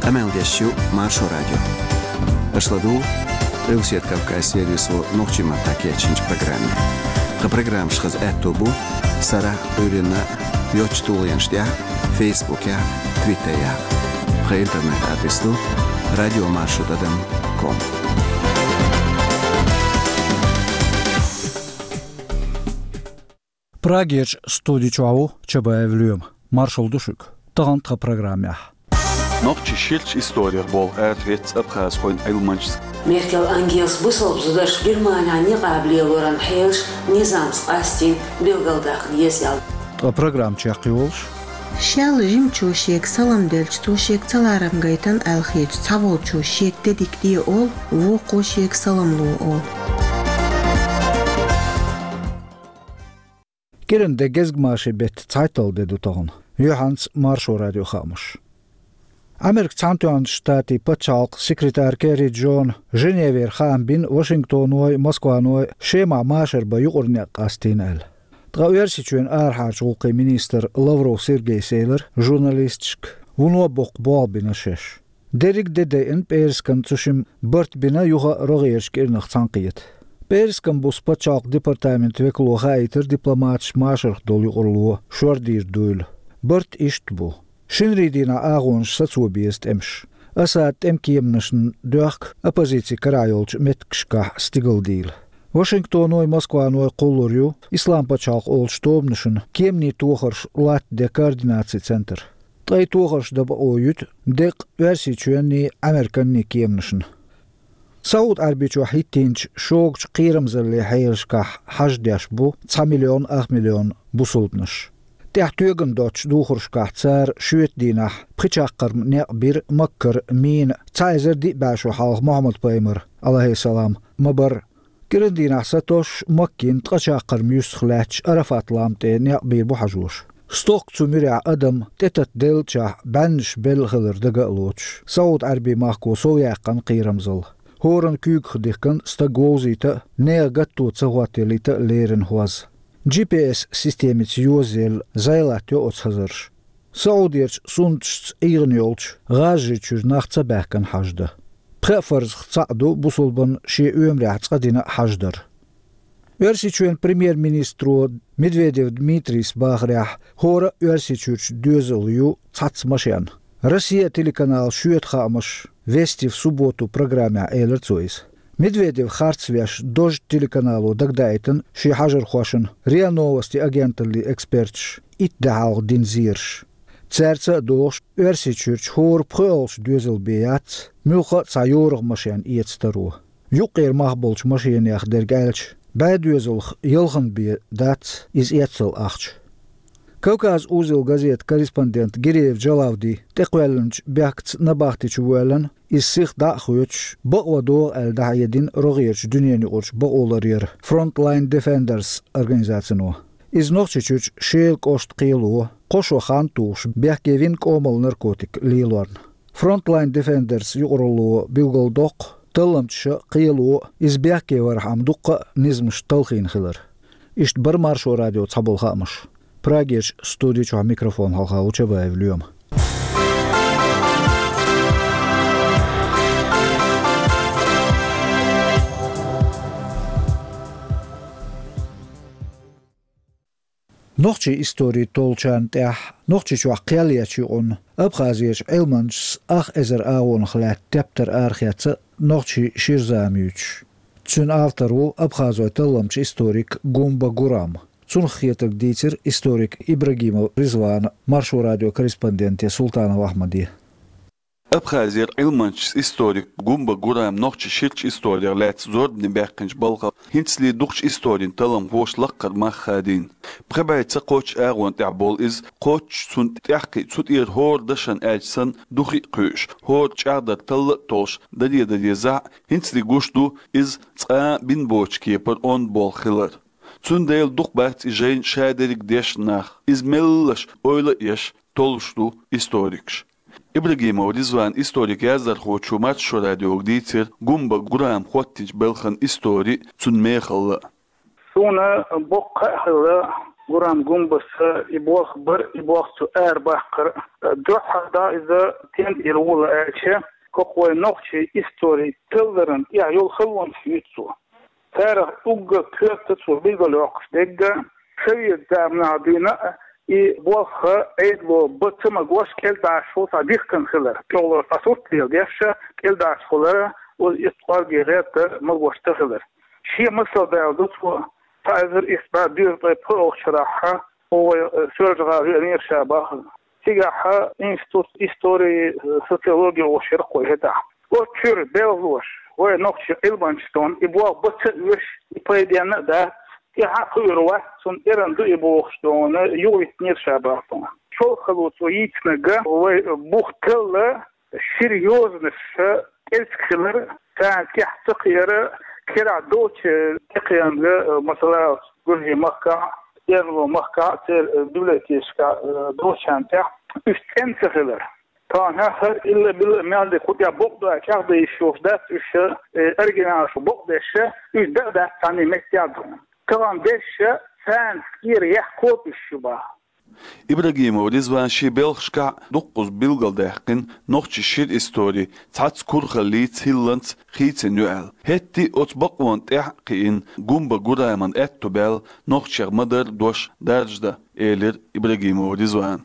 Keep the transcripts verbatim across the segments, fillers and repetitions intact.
Къамел деш ю Маршо радио. Аша ладугӀу Къилбаседа Кавказ сервисо нохчийн маттахь кечйинчу программе. Тхан программаш хаза аьтто бу сарахь а, Ӏуьйранна а йоцчу тулгӀенаш тӀехь а, Фейсбукехь а, Твиттерехь а. Тхан интернет-адрес ду радио маршо тӀадам ком. Прагерчу студи чохь ву Чабаев Лоьма. Маршалла ду шуьга. Тахана тхан программехь: Нохчийн ширачу историх болх арахецна абхазхойн Ӏилманчас. Меркел Ангелас бусалба зударшна Германехь никъаб лелоран хьелаш низамца къастийна билгалдаккха деза аьлла. Ткъа программа чекхйолуш: шел жимачо шега салам делча, цо шега ца ларам гайтина аьлла хеташ, цхьаволчо шега де дика де олу, вукхо шега салам ло олу. КӀиранде гезгмашин беттан цхьайтталгӀа де ду тахана. Юьхьанца Маршо радион хаамаш. Америкин Цхьаьнатоьхначу Штатийн пачхьалкхан секретарь Керри Джона Женевера хаам бина Вашингтоной, Москваной Шемахь машар бан юкъара некъ къастийна аьлла. Ткъа Оьрсийчоьнан арахьарчу гӀуллакхийн министр Лавров Сергейс элира журналисташка, вуно боккха болх бина шаьш. Дерриг а де дайина пӀераскан, цу шимма барт бина юха а рогӀерачу кӀирнах цхьаьнакхета. ПӀераскан буса пачхьалкхан департаментан векало хаийтира дипломаташ машарх долу юкъаралло шордийр дуйла. Барт иштта бу: шинарин дийнахь агӀонаш сацо беза тӀемаш. Асадан тӀеман кеманашна доьхку оппозицин карахь йолчу меттигашкахь стигалдийла. Вашингтоной, Москваной кхуллур ю Исламан пачхьалкх олучу тобанашна кеманийн тохарш латтаде координацин центр. Ткъе тохарш дан бакъо юьту деккъа Оьрсийчоьнний, Американний кеманашна. СаӀуд-Ӏаьрбийчохь хӀиттийначу шогачу кхерамзаллин хьелашкахь хьаж деш бу цхьа миллион ах миллион бусалбанаш. ТӀехь тоьган доцучу духаршкахь цара шоьтан дийнахь пхи чаккхарма некъ бира Маккара мина цхьа эзар диъ бӀе шо хьалха Мухьаммад-пайхамар, Ӏалайхиссалам, ма-барра. КӀиран дийнахь сатосуш Маккина ткъа чаккхарма юьстах лаьттачу Арафат-лам тӀе некъ бийр бу хьажоша. Стохка цу муьрехь адам тӀетатделлачохь бӀеннаш белла хилар дага а лоцуш, СаӀуд-Ӏаьрбийн махко совъяьккхина кхерамзалла. ХӀоранна куьйгах дихкина стаг вовзийта а, нехан гатто ца хӀоттаялийта а лерина хӀоз. Джи-пи-эс системица йозаелла зӀе латтайо оцу хазарша. СаӀудерчу суннаташца ӀийгӀина йолчу ГӀаза-Жида чуьра нах ца баьхкина хьаж дан. Пхеа фарзах цхьаъ ду бусалбанна шен оьмарехь цкъа дина хьаж дар. Оьрсийчоьнан премьер-министро Медведев Дмитрийс бахарехь, хӀора а Оьрсийчуьрчу доьзал ю цхьацца машен. Россия телеканалан шоьтан хаамаш «Вести в субботу» программехь элира цо иза. Медведев харцвеш, Дождь телеканало дагадаийтина шен хьажархошна РИА Новости агенталлин эксперташа итт де хьалха дина зераш. Цаьрца а догӀуш, Оьрсийчуьрчу хӀора пхоьалгӀачу доьзал бен яц муьлхха а цхьа йорагӀа машен эца таро. Юккъера мах болчу машенех дерг аьлча, бӀе доьзалх ялханна бен дац иза эццал ахча. «Кавказ-Узел» газетан корреспондент Гиреев Джалавди тӀекхоьллинчу бехкаца набахти чу воьллина, иза сиха дӀа а хоьцуш, бакъван догӀу аьлла дӀахьедина рогӀерачу дуьненаюкъарчу бакъоларъяран Frontline Defenders организацино. Иза Нохчийчуьрчу Шелан кӀоштан кхело кхо шо хан тухуш бехке вина кӀомал наркотик лелорна. Frontline Defenders юкъаралло билгалдоккху талламчаша а, кхело а иза бехке вархьама дуккха а низамаш талхийна хилар. Иштта бара Маршо радион цхьаболу хаамаш. Прагерчу студи чохь микрофон хьалха ву Чабаев Лоьма. Нохчийн истори толлучарна тӀехь Нохчийчохь кхел ечу юкъанна Абхазерчу Ӏилманчас ах эзар агӀонах лаьтта тептар арахецна нохчийн шира зама юьйцуш. Цуьнан автор ву абхазойн талламчу историк Гумба Гурам. Цунах хетарг дийцира историк Ибрагимов Ризвана Маршо радион корреспонденте Султанов Ахьмаде. Абхазера Ӏилманчас историк Гумба Гурам нохчийн ширачу историх лаьцна зорбане баьккхинчу балхах хӀинцале дукхачу историн талламхоша лаккхара мах хадийна. Пхи бӀе ца кхоччу агӀонна тӀехь болу иза, кхоччуш цунна тӀаьхьакхиъ цу тӀера хӀора дашна аьлча санна духи а кхуьуш, хӀора чӀагӀдар талла а толлуш, даре-даре зӀе, хӀинцале гуш ду иза цкъа а бина боцучу кепара онда болх хилар. Цундела дукха бац и жайна ша дерриг дешна нах, иза меллаша ойла а еш, толлуш ду историкаш. Ибрагимов Ризвана историк-яздархочо Маршо радиога дийцира Гумба Гурама хӀоттийначу балхан истори а, цуьнан мехалла а. Суна боккха а хилла Гурам Гумбаса и болх бар, и болх цо арабаккхар. Дуьххьара иза тен тӀера вула аьлча, хӀокху вайн нохчийн историн талларан тӀехь йолу халонаш юьйцу цо. Царах уггар коьрта цо билгалйоккхуш дерг, совет заманахь дуьйна а, и болх Ӏедало бан ца магош, кӀелдӀашхула цхьа дихкина хилар, чӀогӀа цхьа сурт леладеш, кӀелдӀашхула, оцу итт кӀорге гӀерта магош ца хилар. Шен масал даладо цо, цхьа эзар исс бӀе доьзткъе пхоьалгӀачу шарахь, вай, э, Соьлжа-ГӀала веанера ша боху. Цигахь институт истории, э, социологии олуш яра кху хӀетахь. Оцу чуьра белхалоша, вай нохчийн Ӏилманчаша дуьйна, и болх бан ца оьшу, и пайденна а дац, тӀаьхьа а кхуьур вац, цунна эрна ду и бохуш дуьйна, юхавиттинера ша боху. ЧолхалгӀа цо йийцинарг вай бух талла, серьёзно ша кӀелциг хилар, царна тӀехь ца кхиар, керахь долчу тӀекхаьчнарг, масала, Гуьржийн махкахь, Эрмалойн махкахь, церан библиотекашкахь долчарна тӀехь уьш цӀена ца хилар. Тахана хӀара илла-билла мел дерг кху тӀехь бакъ ду аьлла чӀагӀдан йиш йолуш дац уьш, э, оригиналаш бакъдеш, уьш дан а дац цхьанне меттехь а ду. Тахана дерш царна тӀера яхкхо уьш ю боху. Ибрагимов Ризвана шен белхашкахь дуккхаза билгалдаьккхина нохчийн шира истори цхьацца курхаллица, хӀилланца хийцина ю аьлла. ХӀетте а оцу бакъонна тӀаьхьа а кхиъна, Гумба Гураман аьтто баьлла нохчех ма-дарра дош даржадан, элира Ибрагимов Ризвана.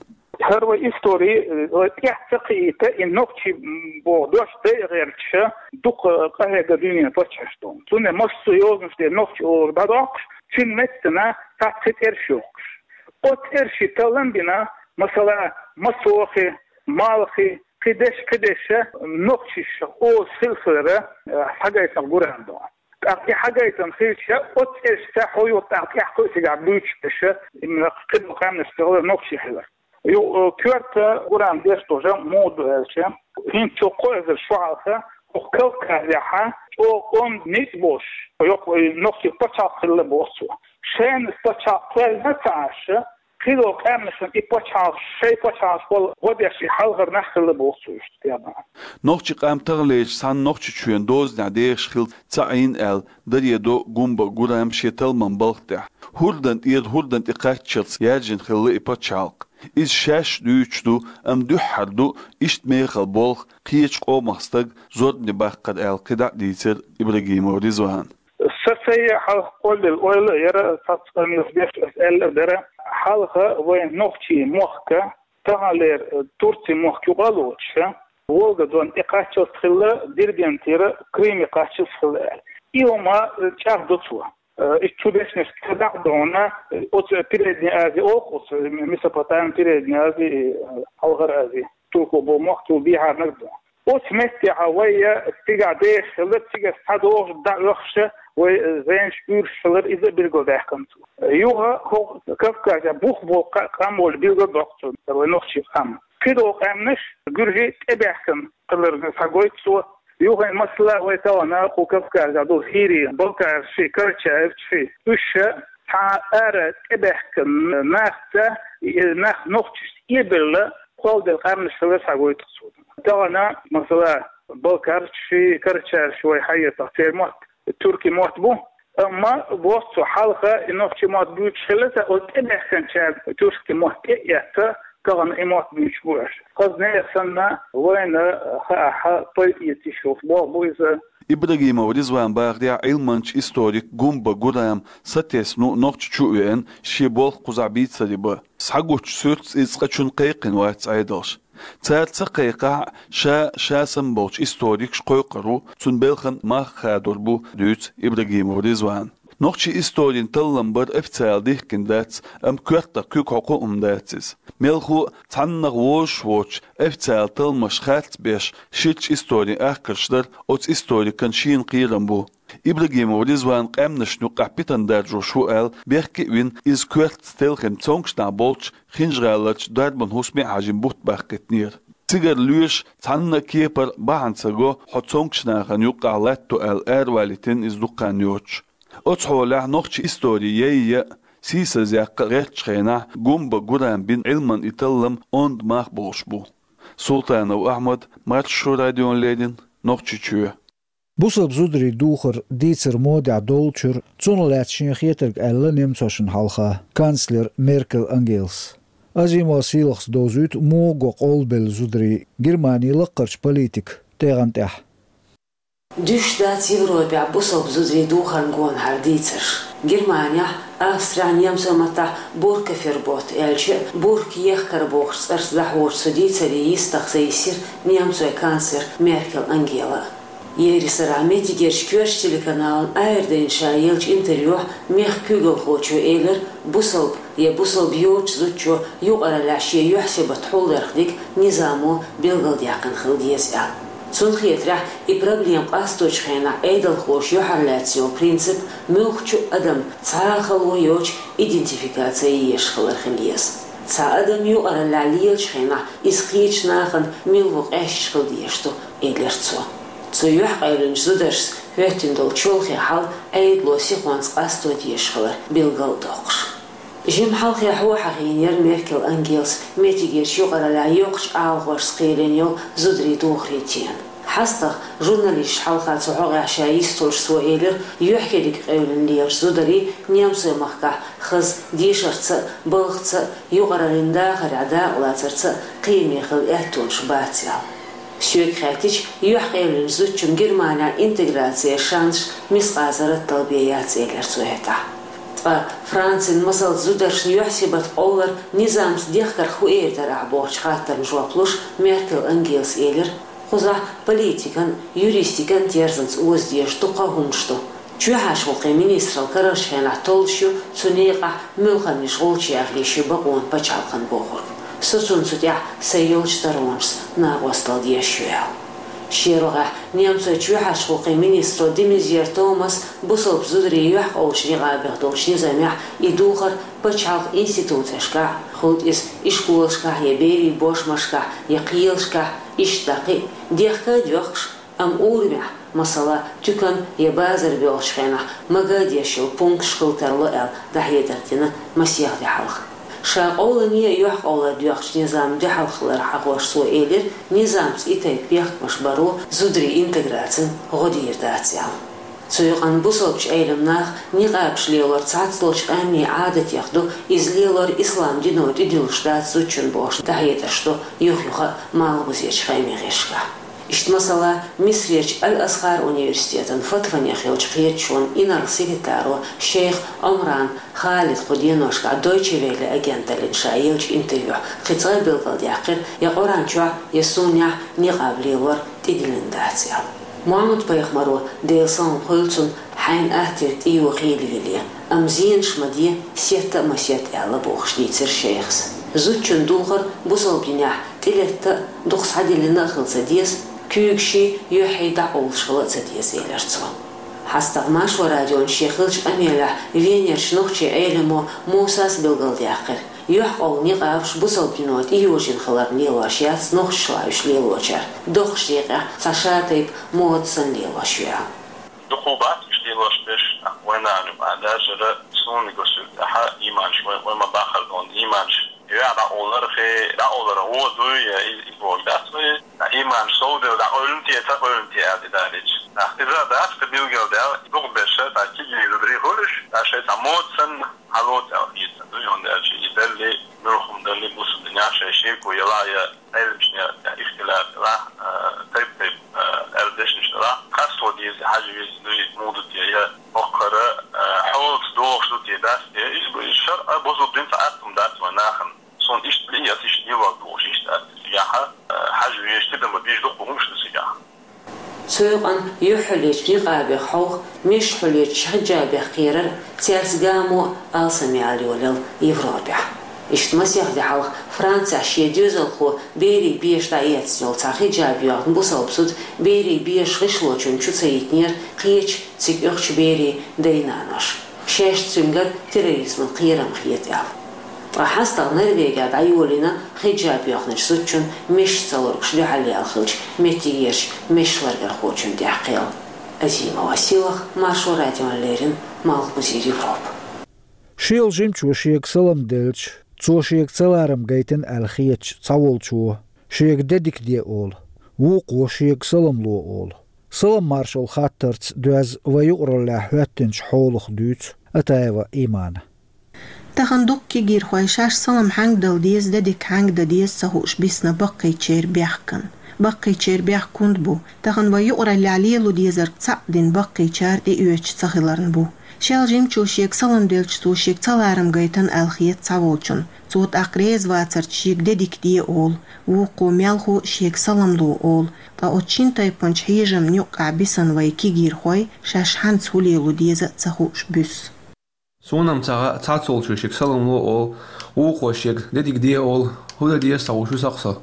ХӀара вай истори, э, вай тӀаьхьа ца кхиийта, и нохчий, м, боху дош дайа гӀерташ, дукха къахьегна дуьненан паччахьаш ду. Цундела массо а йозанаш тӀера нохчи олуш дӀадоккхуш, цуьнан меттана цхьацца цӀераш йохкуш. Оцу цӀершийн таллам бина, масала, Масохи, Малхи, кхидерш, кхидерш, нохчаша олуш хилла хилар, э, схьагайтина Гурам ду. ТӀаккха и схьагайтина хилча, оцу цӀерашца хьо юха тӀаккха тӀаьхьа кхуьу цигахь буьйцуш дерш, именно кхидолу къаьмнашца хилар нохчий хилар. Ю, э, коьрта Гурам деш долу жамӀ муха ду аьлча, хӀинца цу кхо эзар шо хьалха хӀокху Кавказехь чӀогӀа онда ницкъ болуш, йоккха, э, нохчийн пачхьалкх хилла боху цо. Шайна пачхьалкх кхоьллина ца Ӏаш, кхидолу къаьмнашна и пачхьалкхаш, шайн пачхьалкхаш болу гӀо деш и хьалхара нах хилла боху цо иштта тӀе а бахьана. Нохчийн къам таханлерчу цхьана Нохчийчоьнан дозанехь дехаш хилла ца Ӏийна аьлла, даре до Гумба Гурам шен талламан балха тӀехь. ХӀордан тӀера хӀордан тӀе кхаччалц яьржина хилла и пачхьалкх. Иза шаьш дуьйцуш ду, амма дуьххьара ду иштта мехала болх, кхечу къомах стаг зорбане баккхар аьлла, кхидӀа а дийцира Ибрагимов Ризвана. Сан сайга хьалха кхоллаелла ойла а яра, цхьацца къамелаш беш аса аьлла а дара, хьалха вайн нохчийн мохк, таханлера Турцин мохк юкъа а лоцуш, Волга-Дон тӀе кхаччалц хилла, Дербентера Крыме кхаччалц хилла аьлла. И хӀума чӀагӀдо цо. Э, и цу дешнашка ца дӀа а дуьйна, оцу Передняя Азия олу оцу, Месопотамия, Передняя Азия, э, Хьалхара Азия, турко боху мохк цул бехьарниг ду. Оцу меттехь вай цигахь дехаш хилла, цигахь схьадогӀуш, дӀаоьхуш, вай зенаш уьйраш хилар, иза а билгалдаьккхина цо. Юха хӀокху Кавказехь бух болу кха-, къам волчу билгалдоккху цо, вай нохчийн къам. Кхидолу къаьмнаш, гуьржий тӀебаьхкина хилар схьагойту цо. Юха, масала, вай тахана кху Кавказехь долу хӀирий, балкхарший, карачаевцаший, уьш цхьа ара тӀебаьхкина нахаца, и нах нохчашца эбелла, кхолладелла къаьмнаш хилар схьагойту цо. Тахана, масала, балкхарший, карачаевцаш вай хьаэцахь, церан мотт туркийн мотт бу, амма боху цо, хьалха и нохчийн мотт буьйцуш хилла, ткъа оцу тӀебаьхкинчара туркийн мотт тӀе а эцна, тахана и мотт буьйцуш бу аьлла. Хаза нехан санна, вайна хаахь, пайда эца йиш йолуш болх бу иза. Ибрагимов Ризвана бахарехь, Ӏилманча, историк Гумба Гурам сатесна ву Нохчийчу а веана, шен болх кхузахь бийцаре бан. Схьагучу суьртаца иза цкъачунна кхайкхина вац Ӏедалша. Цара ца кхайкхахь а, ша, ша самаболчу историкаша кхойкхур ву, цуьнан белхан мах хадор бу, дуьйцу Ибрагимов Ризвана. Нохчийн историн таллам бар официалан дихкина дац, амма коьртах куьг хьокху а хӀума дац иза. Мелхо а, цхьаннах вовзаш воцуш, официалан талламаш харц беш, ширачу историн ахкарш дар оцу историкан шена кхерам бу. Ибрагимов Ризван къаьмнашна юккъехь питана даржош ву аьлла, бехке а вина, иза коьртаца телхина цомгуш нах болчу Хинжа-ГӀаларчу дарбан хӀусаме а хьажийна бутт баккхийтинера. Цигара лоьша цхьанна а кепара бахьана ца го хьо цомгуш нахана юккъехь латто аьлла аравалийтина иза дукха хан йоцуш. Оцу хьолехь нохчийн истори яйъа а, сийсазъяккха а гӀертачу хенахь Гумба Гурама бина Ӏилманан и таллам онда мах болуш бу. Султанов Ахьмад, Маршо радиона леррина, Нохчийчоь. Бусалба зударийн духар дийцар модехь доллучуьра, цунах лаьцна шена хетарг аьлла немцошна хьалха канцлера Меркель Ангелас. Азимова Сийлахьас довзуьйту муха го къовлабелла зударийн Германин лаккхарчу политикан тӀегӀан тӀехь. Дуьсуш дац Европехь бусалба зударийн духарна гонахьара дийцарш. Германехь, Австрехь, немцойн маттахь Буркафербот аьлча, бурка ехкар бохучу цӀарца дӀахьочу цу дийцаре йистах ца йисира немцойн канцлера Меркель Ангела. Еррисарахь меттигерчу коьртачу телеканална Ӏер дайна ша еллачу интервьюхь мехкан куьйгалхочо элира, бусалба я бусалба йоцучу зудчо юкъараллехь шен юьхь-сибат хьулдарх дерг низамо билгалдаьккхина хила деза аьлла. Цунна хетарехь, и проблема къасточу хенахь Ӏедалхоша юьхьарлаьцна йолу принцип муьлххачу а адамна цхьа а хало йоцуш идентификаци езаш хилар хила еза. Цхьа адам юкъараллехь лелачу хенахь иза кхечу нахана мила ву къаьсташ хила дезаш ду, элира цо. Цу юьхькъевлинчу зударшца хӀоьттина долу чолхе хьал Ӏедало сихонца къасто дезаш хилар билгал а доккхуш. Жимма хьалхе хьо хьахийнера Меркель Ангелас меттигерчу юкъараллехь йоккхачу Ӏалашонца кхиъна йолу зударийн духарийн тема. ХьастагӀа журналисташна хьалха цу хьокъехь ша йистхуьлуш цо элира, юьхькериг къевлина лелачу зударийн немцойн махкахь хаза дешарца а, балхаца а, юкъараллин дахарехь дакъалацарца а кхиаме хила аьттонаш бац аьлла. Соьга хаьттича, юьхькъевлинчу зудчунна Германехь интеграцин шансаш мискъазарратал бен яц, элира цо хӀетахь. Ткъа Францин масалца зударшна юьхь-сибат къовлар низамца дехкарх хӀун эр дара ахь бохучу хаттарна жоп луш, Меркель Ангелас элира, кхузахь политикан, юристикан терзанца оза дезаш дуккха а хӀуманаш ду. Чоьхьарчу гӀуллакхийн министралла карарчу хенахь толлуш ю цу некъахь муьлханнаш гӀулча яхъе шен бакъонан пачхьалкхана бохург. Со цунна цу тӀехь сайн йолчу таронашца накъосталла дезаш ю аьлла. Шен рогӀехь немцойн чоьхьарчу гӀуллакхийн министро де Мезьер Томаса бусалба зударийн юьхькъовлучу некъабех долчу низамехь и духар пачхьалкхан институцешкахь, хӀунда иза ишколашкахь я берийн бошмашкахь я кхелашкахь, иштта дӀа кхин а, дехка а доьхкуш, амма урамехь, масала, туькан я базар боьлхучу хенахь мага а деш йолу пункташ хила тарло аьлла, дӀахьедар дина масех де хьалха. Ша къовлане а юьхькъовлар доьхначу низамна дуьхьал хилар хьахош цо элира, низамца и тайпа бехкамаш баро зударийн интеграцина гӀо дийр дац аьлла. Цу юкъанна бусалбачу Ӏелам наха никъабаш лелор цхьаццалгӀачу къаьмнийн Ӏадатех ду, иза лелор ислам дино тӀедиллуш дац зудчун бохуш дӀахьедарш ду юх-юха а малхбузерчу хаамийн гӀирсашкахь. Иштта масала, Мисрерчу Аль-Азхар университетан фатванех йолчу кхеташонан инарла секретаро шейх Омран Халид кху деношкахь Дойче Велле агенталлина ша еллачу интервьюхь кхин цкъа а билгалдаьккхира, я Къуръан чохь, я суннехь никъаб лелор тӀедиллина дац аьлла. Мухьаммад-пайхамаро, Делан салам хуьлда цунна, хьайна аттера тӀейо хийла йилла, амма зенаш ма де, сетта а ма сетта аьлла бохуш дийцира шейхас. Зудчун духар бусалба динехь тӀелетта а, дукха схьадиллина а хила ца деза, куьйгашший, юьххьий дӀакъовлуш хила а ца деза, элира цо. ХьастагӀа Маршо радион шен хиллачу къамелехь Венерчу нохчийн Ӏеламо Мусас билгалдаьккхира, юьхькъовла никъабаш бусалба дино тӀейожийна хиларна лелош яц нохчашлахь уьш лелочара, доккхачу декъехь цхьа шатайпа мода санна лелош ю аьлла. Дукха бац уьш лелош берш, тӀаккха вайна а юкъа дажара суна госуьйту тӀаьхьа ийманаш, вай, вай ма бахара дона ийманаш. Веа дӀакъовлархе, дӀакъовлар гӀо дуй, я и, и боху дац вай. Ткъа ийманаш совдевлла дӀакъевлина те, ца къевлина те аьлла тӀедалийча. ТӀаккха иза дац, кхин билгалдаьлла, дукха берш, тӀаккха кегий зударий хуьлуш, тӀаккха шайн цхьа мода санна хьалоцу аьлла хета ду, хӀунда аьлча и далли, муьлхха хӀума далли, бусалба динехь шайн шеко елахь я Ӏеламчунна я ихтилат елахь, а, тайп-тайпа, а, аьлла дешнаш делахь, къасто деза, хьажа веза дуй, муха ду те, я хӀокхара, а, хьолаца догӀуш ду те, дац те, иза бу, иза шарӀа, бусалба дин цхьа атта хӀума дац вайн нахана. Суна иштта лиъ, аса иштта лелор ду уьш, иштта дац те, цигахь, а, хьажа везаш, тидам бан безаш дуккха хӀумаш ду цигахь. Цу юкъанна юьхь хьулъечу никъабех хьовха, мешаш хьулъечу хиджабех кхерар а, цаьрца гамо а алсамъяла йолаелла Европехь. Иштта масех де хьалха Францехь шен доьзалхо берийн беша дӀаэцна йолу цхьа хиджаб йоьхна бусалба зуда берийн бешан гӀишлочунна чу ца йитинера кхечу, цига оьхучу берийн дай-наноша, шаьш цуьнгара терроризман кхерам хета аьлла. Ткъа хьастагӀа Норвегехь дӀайолийна хиджаб йоьхначу зудчун мешаш ца лургуш дуьхьал яьлла хилча меттигерчу мешаш ларъярхочун тӀехь кхел. Азимова Сийлахь, Маршо радиона леррина, Малхбузера Европа. Шел жимчо шега салам делча, цо шега ца ларам гайтина аьлла хеташ цхьаволчо шега де дика де олу, вукхо шега салам ло олу. Салам-маршалла хаттарца доьзна вай юкъараллехь хӀоьттинчу хьолах дуьйцу Атаева Имана. Тахана дуккха кегийрхой шаьш салам хьанга дала деза, де дика хьанга дан деза ца хууш бисна баккхийчеран бехкана. Баккхийчеран бехк хӀунда бу? Тахана вай юкъараллехь лело дезарг цхьаъ дина баккхийчара тӀеоьцуш ца хиларна бу. Шел жимачо шега салам делча, цо шега ца ларам гайтина аьлла хета цхьаволчунна. Цо тӀаккха реза вацарца шега де дика де олу, вукхо мелхо а шега салам ло олу, ткъа оцу шина тайпанчу хьежамна юккъехь бисна вай кегийрхой шаьш хьанца хӀун лело деза а ца хууш буьсу. Суна-м ца хаьа, цхьаццаволчо шега салам ло олу, вукхо шега де дика де олу, хӀун дан деза ца хууш ву-кх со.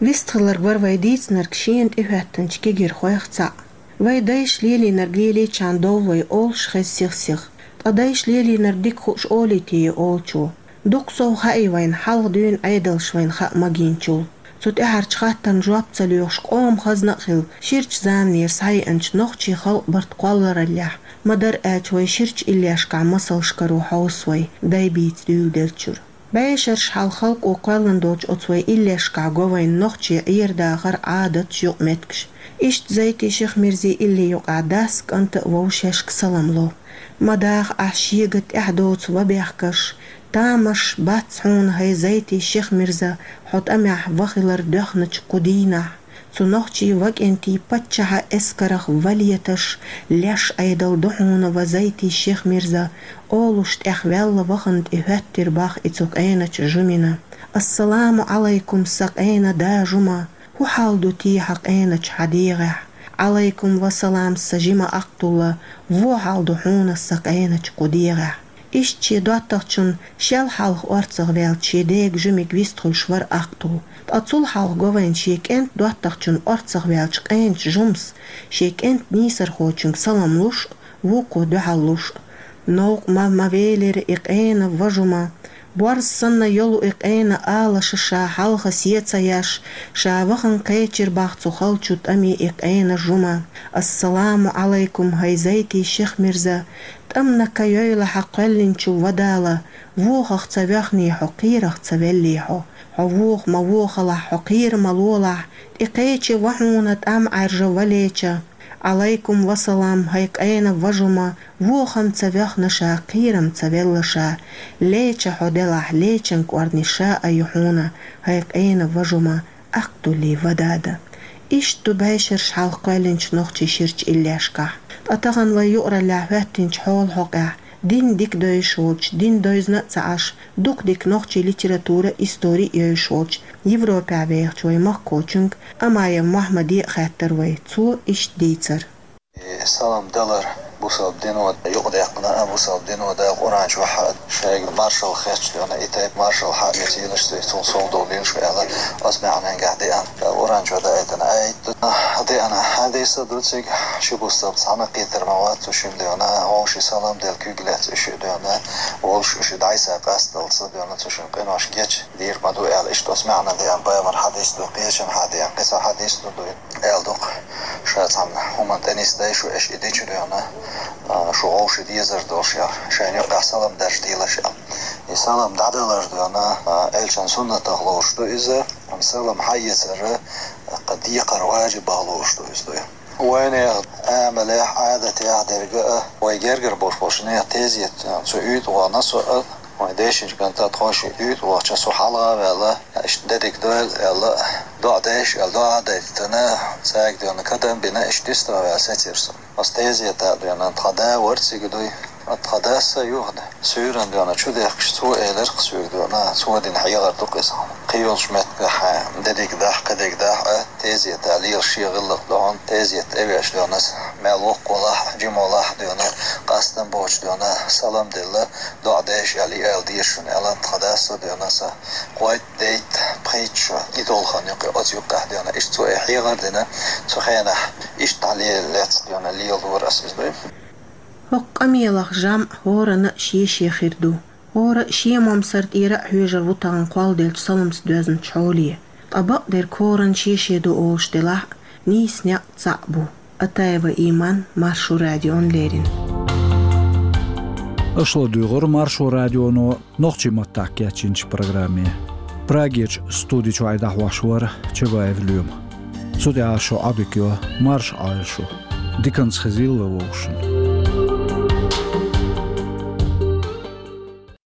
Вистхилларг вара вай дийцинарг шена тӀехӀоьттинчу кегийрхойх цхьаъ. Вай дайша лелийнарг лелийчхьана довла вай олуш хеза сих-сиха. Ткъа дайша лелийнарг дика хууш олий те олучо? Дукха сов хаьий вайна хьалха дуьйна Ӏедалш вайна хаа магийначул. Цу тӀаьхьарчу хаттарна жоп ца лоьхуш, къоман хазна а хилла, ширачу заманера схьаеанчу нохчийн халкъан барт кхоллараллехь, ма-дарра аьлча, вай ширачу иллешкахь масалш каро хьовса вай, дай бийца дуьйладеллачуьра. БӀешераш хьалха халкъо кхоьллина долчу оцу вай иллешкахь го вайна нохчийн Ӏер-дахар, Ӏадаташ, юкъаметтигаш. Иштта Зайтин Шихмирзин илли юкъахь дас а, кӀант а вовшашка салам ло. Ма даха ахь шега тӀаьхьа доцу ва бехкаш, тамаш бац хьуна, хӀай Зайтин Шихмирза, хьо тӀамехь ва хилар доьхначу кху дийнахь. Цу нохчийн ва кӀентийн паччахьан эскарах ва леташ, леш Ӏедал ду хьуна, ва Зайтин Шихмирза, олуш тӀехваьлла вахана тӀехӀоьттира боху и цу къеначу жумина. Ассаламу Ӏалайкум, сан къена да жума, хӀун хьал ду те хьан къеначу хьан дегӀехь? Ӏалайкум ва салам, сан жима Ахтулла, вон хьал ду хьуна сан къеначу кху дегӀехь. Иштта шен доттагӀчун шел хьалха орцах ваьлча шен дега жимиг вистхуьлуш вара Ахтул. Ткъа цул хьалха го вайна шен кӀентан доттагӀчун орцах ваьлча къеначу жумас шен кӀентан нийсархочуьнга салам луш а, вукхо дуьхьал луш а. Новкъа ма, ма велира и къена ва жума. Борз санна йолу и къена алаша ша хьалха сецаяш, ша вахана кхечира боху цу халчу тӀаме и къена жума. Ассаламу Ӏалайкум, хӀай Зайтин Шихмирза, тӀамна ка йойла хьан кхоьллинчу ва Дала, вохах ца воьхний хьо, кхерах ца веллий хьо. Хьо воха ма вохалахь, хьо кхера ма лолахь, тӀекхечи ва хьуна тӀам Ӏаьржа ва леча. Ӏалайкум ва салам, хӀай къена ва жума, вохам ца воьхна ша, кхерам ца велла ша. Леча хьо делахь, лечан кӀорни ша а ю хьуна, хӀай къена ва жума, Ахтуллин ва дада. Иштта ду бӀешераш хьалха кхоьллинчу нохчийн ширачу иллешкахь. Ткъа тахана вай юкъараллехь хӀоьттинчу хьолан хьокъехь, дин дика дойуш волчу, дин дойзна а ца Ӏаш, дукха дика нохчийн литература, истори а йойуш волчу, Европехь вехачу вай махкахочуьнга Амаев Мохьмаде а хаьттира вай, цо иштта дийцира. И салам далар бусалба дино юкъадаьккхина а, бусалба дино Дала Къуръан чохь а шайга маршалла хеташ дуьйна, и тайпа маршалла хьа а мецийла ша, цул сов долийла ша аьлла, оцу маьӀненгахь деана. Къуръан чохь даийтина аят ду, деана хьадис а ду цига, ши бусалба цхьаьна кхетар ма вац цу шимма дуьйна, вовшийн салам дала куьг лаьцна уьш дуьйна, волуш уьш дӀасакъасталц дуьйна, цу шимма къинош гечдийр ма ду аьлла, иштта оцу маьӀненгахь деана, пайхамаран хьадис ду, кхечанхьа деана, кхин цхьа хьадис ду дуьйна. Аьлла ду-кх, ша цхьана хӀуманна тӀе нисдой шу, аша и дича дуьйна, а, шу вовшийн дезар долуш яра, шайна юкъахь салам даржадийлаш яра. И салам дӀадалар дуьйна, а, элчан суннатах лоруш ду иза, амма салам хьаэцар, а, кху декхар важибах лоруш ду иза дуьйна. Вайнехан амалехь, Ӏадатехь дерг а, вай гергара болуш болчу нехан тезет, а, цу уьйтӀа вахана со а, вайн дешинчу кӀанта тхо шиъ уьйтӀа вахча со хьалха а ваьлла, иштта де дика дойла аьлла, доӀа дайша аьлла, доӀа а дайтина, цаьрга дуьйна кадам а бина, иштта дистагӀа ваьлла сецира со. Аса тезета а дуьйна, тхан да вара цига дуй, тхан дас а юха суьйранна дуьйна чу дехкаш, цо элира-кх соьга дуьйна, цо дина хьехар ду-кх иза. Кхин йолчу меттигехь де дика дахь, кхин дика дахь а, тезета лела шен гӀиллакх ду хьуна, тезет тӀевеача дуьйна аса, мел воккха валахь а, жима валахь а дуьйна, къастам боцуш дуьйна, салам делла, доӀа дайша аьлла, и ала деза шуна аьлла, тхан дас а дуьйна аса, кхойтта, дейтта, пхийтта шо и долу хан юкъе, оцу юккъехь дуьйна, иштта цо и хьехар дина, цу хенахь иштта дӀалелаца дуьйна лелора аса иза дуй. ХӀокху къамелах жамӀ хӀоранна а шен-шен хир ду. ХӀора а шен момсар тӀера а хьоьжур ву тахана кхолладеллачу саламца доьзначу хьоле. Ткъа бакъдерг хӀоранна шен-шен ду олуш делахь а, нийса некъ цхьаъ бу. Атаева Иман, Маршо радиона леррина. Аша ладуьйгӀура Маршо радионо нохчийн маттахь кечйинчу программе. Прагерчу студи чуьра дӀахьош вара Чабаев Лоьма. Цу тӀехьа шу Ӏадика йо, марша Ӏойла шу. Диканца хезийла вай вовшашца.